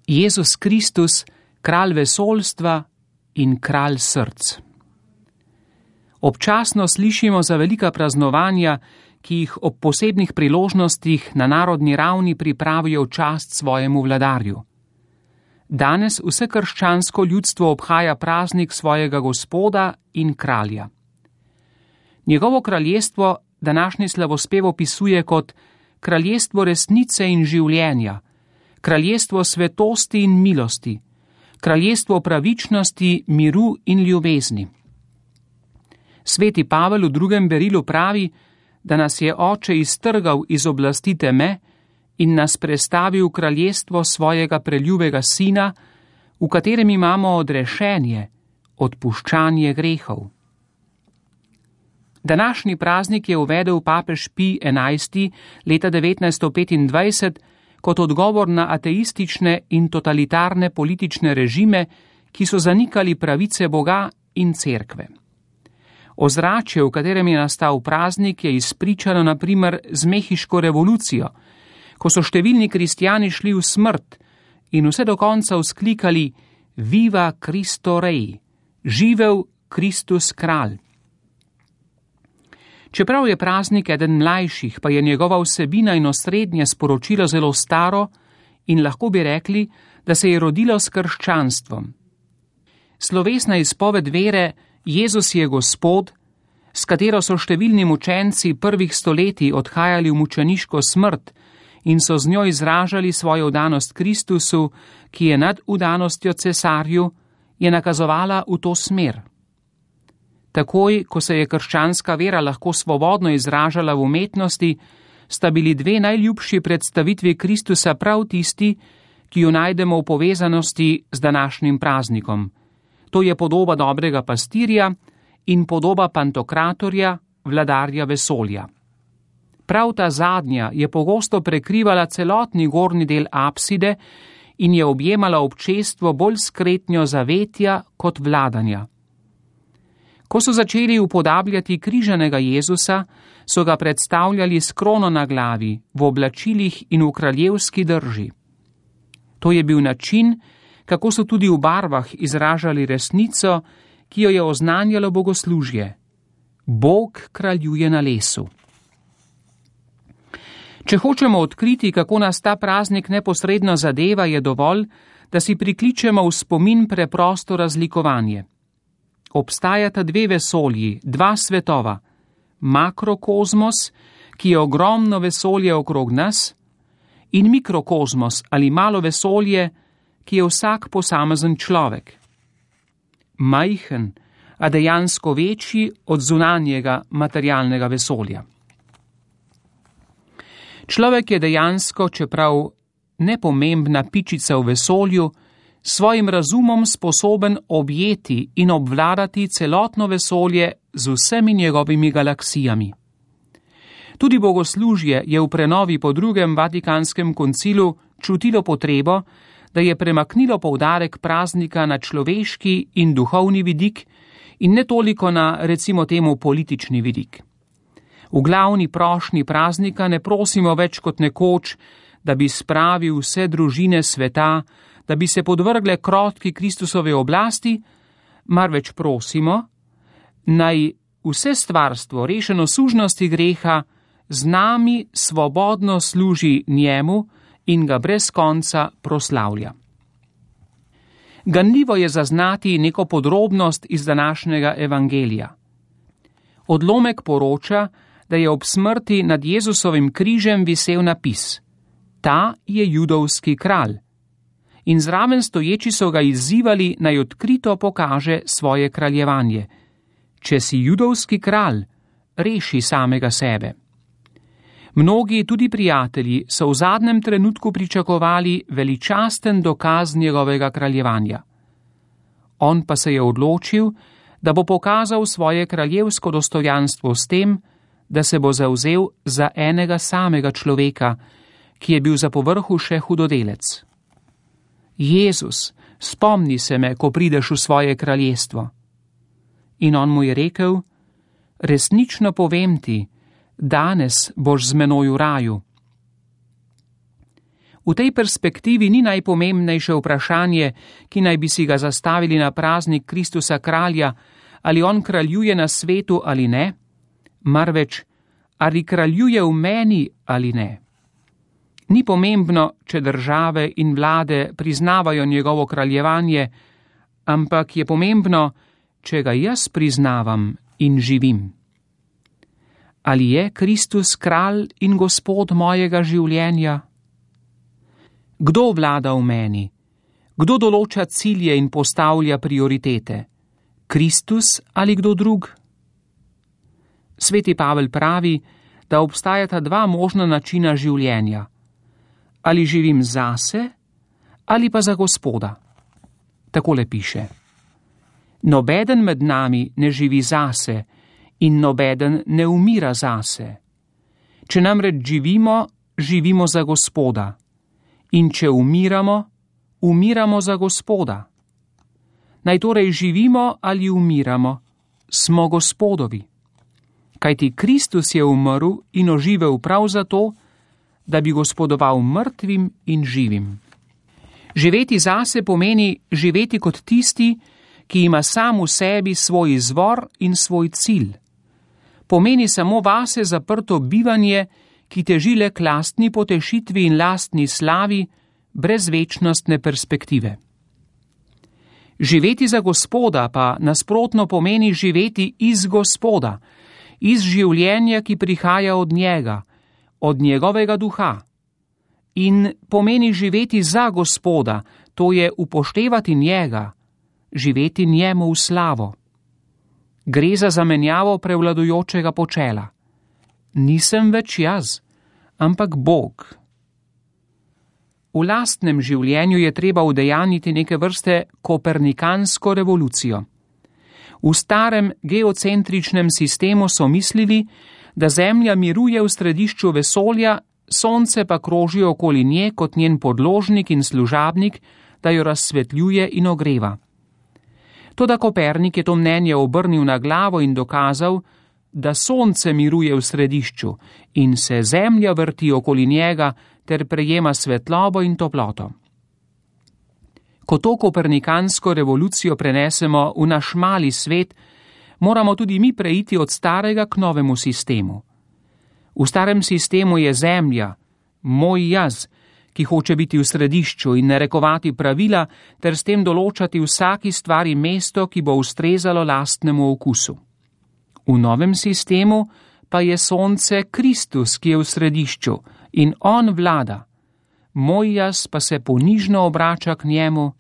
Jezus Kristus, kralj vesoljstva in kralj src. Občasno slišimo za velika praznovanja, ki jih ob posebnih priložnostih na narodni ravni pripravijo v čast svojemu vladarju. Danes vse krščansko ljudstvo obhaja praznik svojega Gospoda in kralja. Njegovo kraljestvo današnji slavospev opisuje kot kraljestvo resnice in življenja, kraljestvo svetosti in milosti, kraljestvo pravičnosti, miru in ljubezni. Sveti Pavel v 2. berilu pravi, da nas je Oče iztrgal iz oblasti teme in nas prestavil v kraljestvo svojega preljubega Sina, v katerem imamo odrešenje, odpuščanje grehov. Današnji praznik je uvedel papež Pij XI. Leta 1925 kot odgovor na ateistične in totalitarne politične režime, ki so zanikali pravice Boga in cerkve. Ozračje, v katerem je nastal praznik, je izpričano na primer z mehiško revolucijo, ko so številni kristjani šli v smrt in vse do konca vzklikali Viva Cristo Rey, živel Kristus kralj. Čeprav je praznik eden mlajših, pa je njegova vsebina in osrednje sporočilo zelo staro in lahko bi rekli, da se je rodilo s krščanstvom. Slovesna izpoved vere Jezus je Gospod, s katero so številni mučenci prvih stoletij odhajali v mučeniško smrt in so z njo izražali svojo vdanost Kristusu, ki je nad vdanostjo cesarju, je nakazovala v to smer. Takoj, ko se je krščanska vera lahko svobodno izražala v umetnosti, sta bili dve najljubši predstavitvi Kristusa prav tisti, ki jo najdemo v povezanosti z današnjim praznikom. To je podoba dobrega pastirja in podoba Pantokratorja, vladarja vesolja. Prav ta zadnja je pogosto prekrivala celotni gornji del apside in je objemala občestvo bolj skretnjo zavetja kot vladanja. Ko so začeli upodabljati križanega Jezusa, so ga predstavljali s krono na glavi, v oblačilih in v kraljevski drži. To je bil način, kako so tudi v barvah izražali resnico, ki jo je oznanjalo bogoslužje. Bog kraljuje na lesu. Če hočemo odkriti, kako nas ta praznik neposredno zadeva, je dovolj, da si prikličemo v spomin preprosto razlikovanje. Obstajata dve vesolji, dva svetova, makrokozmos, ki je ogromno vesolje okrog nas, in mikrokozmos ali malo vesolje, ki je vsak posamezen človek. Majhen, a dejansko večji od zunanjega materialnega vesolja. Človek je dejansko, čeprav nepomembna pičica v vesolju, svojim razumom sposoben objeti in obvladati celotno vesolje z vsemi njegovimi galaksijami. Tudi bogoslužje je v prenovi po 2. Vatikanskem koncilu čutilo potrebo, da je premaknilo poudarek praznika na človeški in duhovni vidik in ne toliko na, recimo temu, politični vidik. V glavni prošnji praznika ne prosimo več kot nekoč, da bi spravil vse družine sveta, da bi se podvrgle krotki Kristusove oblasti, marveč prosimo, naj vse stvarstvo rešeno sužnosti greha z nami svobodno služi njemu in ga brez konca proslavlja. Ganljivo je zaznati neko podrobnost iz današnjega evangelija. Odlomek poroča, da je ob smrti nad Jezusovim križem visel napis: Ta je judovski kralj. In zraven stoječi so ga izzivali, naj odkrito pokaže svoje kraljevanje. Če si judovski kralj, reši samega sebe. Mnogi, tudi prijatelji, so v zadnjem trenutku pričakovali veličasten dokaz njegovega kraljevanja. On pa se je odločil, da bo pokazal svoje kraljevsko dostojanstvo s tem, da se bo zavzel za enega samega človeka, ki je bil za povrhu še hudodelec. Jezus, spomni se me, ko prideš v svoje kraljestvo. In on mu je rekel: Resnično povem ti, danes boš z menoj v raju. V tej perspektivi ni najpomembnejše vprašanje, ki naj bi si ga zastavili na praznik Kristusa kralja, ali on kraljuje na svetu ali ne, marveč, ali kraljuje v meni ali ne. Ni pomembno, če države in vlade priznavajo njegovo kraljevanje, ampak je pomembno, če ga jaz priznavam in živim. Ali je Kristus kralj in gospod mojega življenja? Kdo vlada v meni? Kdo določa cilje in postavlja prioritete? Kristus ali kdo drug? Sveti Pavel pravi, da obstajata dva možna načina življenja. Ali živim zase ali pa za Gospoda. Takole piše: Nobeden med nami ne živi zase in nobeden ne umira zase. Če namreč živimo, živimo za Gospoda. In če umiramo, umiramo za Gospoda. Naj torej živimo ali umiramo, smo Gospodovi. Kajti Kristus je umrl in oživel prav zato, da bi gospodoval mrtvim in živim. Živeti zase pomeni živeti kot tisti, ki ima sam v sebi svoj izvor in svoj cilj. Pomeni samo vase zaprto bivanje, ki teži le k lastni potešitvi in lastni slavi, brez večnostne perspektive. Živeti za Gospoda pa nasprotno pomeni živeti iz Gospoda, iz življenja, ki prihaja od njega, od njegovega duha. In pomeni živeti za Gospoda, to je upoštevati njega, živeti njemu v slavo. Gre za zamenjavo prevladujočega počela. Nisem več jaz, ampak Bog. V lastnem življenju je treba udejaniti neke vrste kopernikansko revolucijo. V starem geocentričnem sistemu so mislili, da Zemlja miruje v središču vesolja, Sonce pa kroži okoli nje kot njen podložnik in služabnik, da jo razsvetljuje in ogreva. Toda Kopernik je to mnenje obrnil na glavo in dokazal, da Sonce miruje v središču in se Zemlja vrti okoli njega ter prejema svetlobo in toploto. Ko to kopernikansko revolucijo prenesemo v naš mali svet, moramo tudi mi preiti od starega k novemu sistemu. V starem sistemu je Zemlja, moj jaz, ki hoče biti v središču in narekovati pravila ter s tem določati vsaki stvari mesto, ki bo ustrezalo lastnemu okusu. V novem sistemu pa je Sonce Kristus, ki je v središču in on vlada. Moj jaz pa se ponižno obrača k njemu,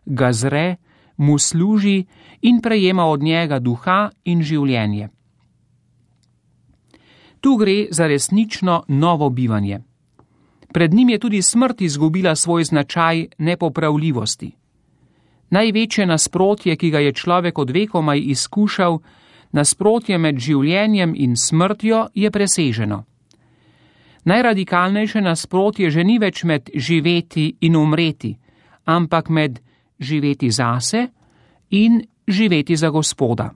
ga zre, mu služi in prejema od njega duha in življenje. Tu gre za resnično novo bivanje. Pred njim je tudi smrt izgubila svoj značaj nepopravljivosti. Največje nasprotje, ki ga je človek od vekomaj izkušal, nasprotje med življenjem in smrtjo, je preseženo. Najradikalnejše nasprotje že ni več med živeti in umreti, ampak med živeti zase in živeti za Gospoda.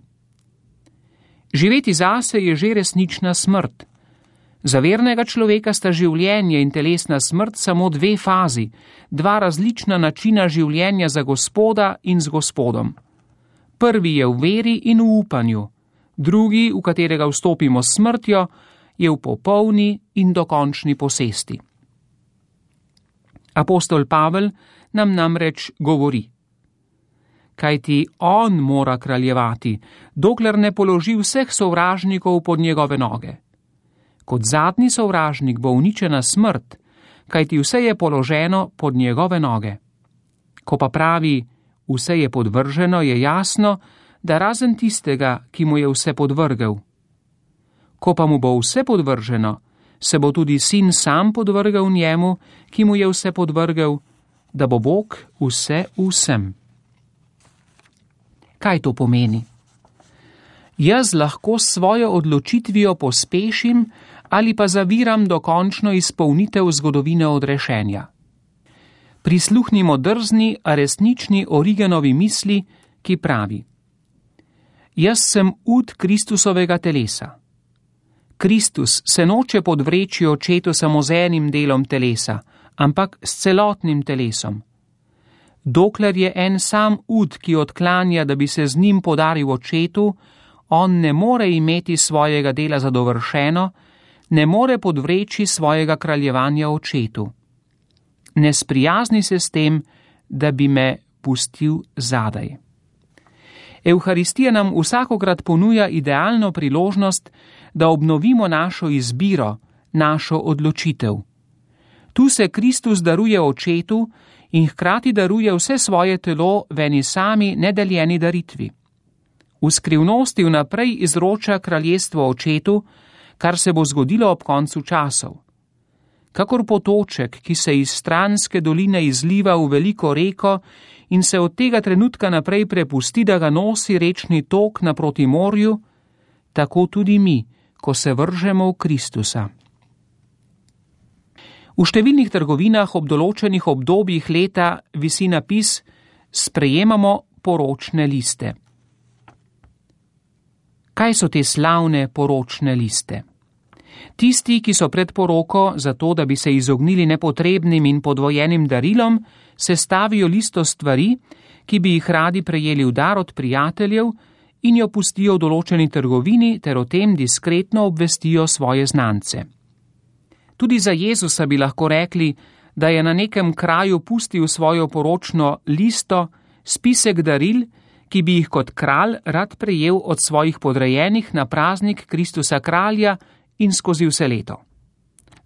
Živeti zase je že resnična smrt. Za vernega človeka sta življenje in telesna smrt samo dve fazi, dva različna načina življenja za Gospoda in z Gospodom. Prvi je v veri in v upanju, drugi, v katerega vstopimo s smrtjo, je v popolni in dokončni posesti. Apostol Pavel nam namreč govori: kajti on mora kraljevati, dokler ne položi vseh sovražnikov pod njegove noge. Kot zadnji sovražnik bo uničena smrt, kajti vse je položeno pod njegove noge. Ko pa pravi, vse je podvrženo, je jasno, da razen tistega, ki mu je vse podvrgel. Ko pa mu bo vse podvrženo, se bo tudi sin sam podvrgel njemu, ki mu je vse podvrgel, da bo Bog vse vsem. Kaj to pomeni? Jaz lahko s svojo odločitvijo pospešim ali pa zaviram dokončno izpolnitev zgodovine odrešenja. Prisluhnimo drzni, a resnični Origenovi misli, ki pravi: Jaz sem ud Kristusovega telesa. Kristus se noče podvreči očetu samo z enim delom telesa, ampak s celotnim telesom. Dokler je en sam ud, ki odklanja, da bi se z njim podaril očetu, on ne more imeti svojega dela zadovršeno, ne more podvreči svojega kraljevanja očetu. Ne sprijazni se s tem, da bi me pustil zadaj. Evharistija nam vsakokrat ponuja idealno priložnost, da obnovimo našo izbiro, našo odločitev. Tu se Kristus daruje očetu in hkrati daruje vse svoje telo v eni sami nedeljeni daritvi. V skrivnosti vnaprej izroča kraljestvo očetu, kar se bo zgodilo ob koncu časov. Kakor potoček, ki se iz stranske doline izliva v veliko reko in se od tega trenutka naprej prepusti, da ga nosi rečni tok naproti morju, tako tudi mi, ko se vržemo v Kristusa. V številnih trgovinah ob določenih obdobjih leta visi napis: sprejemamo poročne liste. Kaj so te slavne poročne liste? Tisti, ki so pred poroko, zato da bi se izognili nepotrebnim in podvojenim darilom, sestavijo listo stvari, ki bi jih radi prejeli v dar od prijateljev, in jo pustijo v določeni trgovini ter o tem diskretno obvestijo svoje znance. Tudi za Jezusa bi lahko rekli, da je na nekem kraju pustil svojo poročno listo, spisek daril, ki bi jih kot kralj rad prejel od svojih podrejenih na praznik Kristusa kralja in skozi vse leto.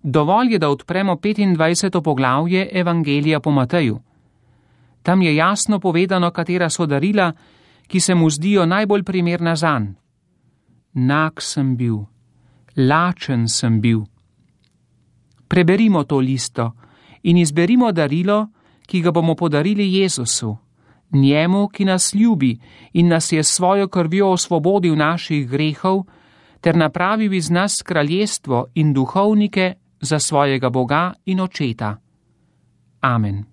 Dovolj je, da odpremo 25. poglavje Evangelija po Mateju. Tam je jasno povedano, katera so darila, ki se mu zdijo najbolj primerna zanj. Nag sem bil, lačen sem bil. Preberimo to listo in izberimo darilo, ki ga bomo podarili Jezusu, njemu, ki nas ljubi in nas je s svojo krvjo osvobodil naših grehov, ter napravil iz nas kraljestvo in duhovnike za svojega Boga in Očeta. Amen.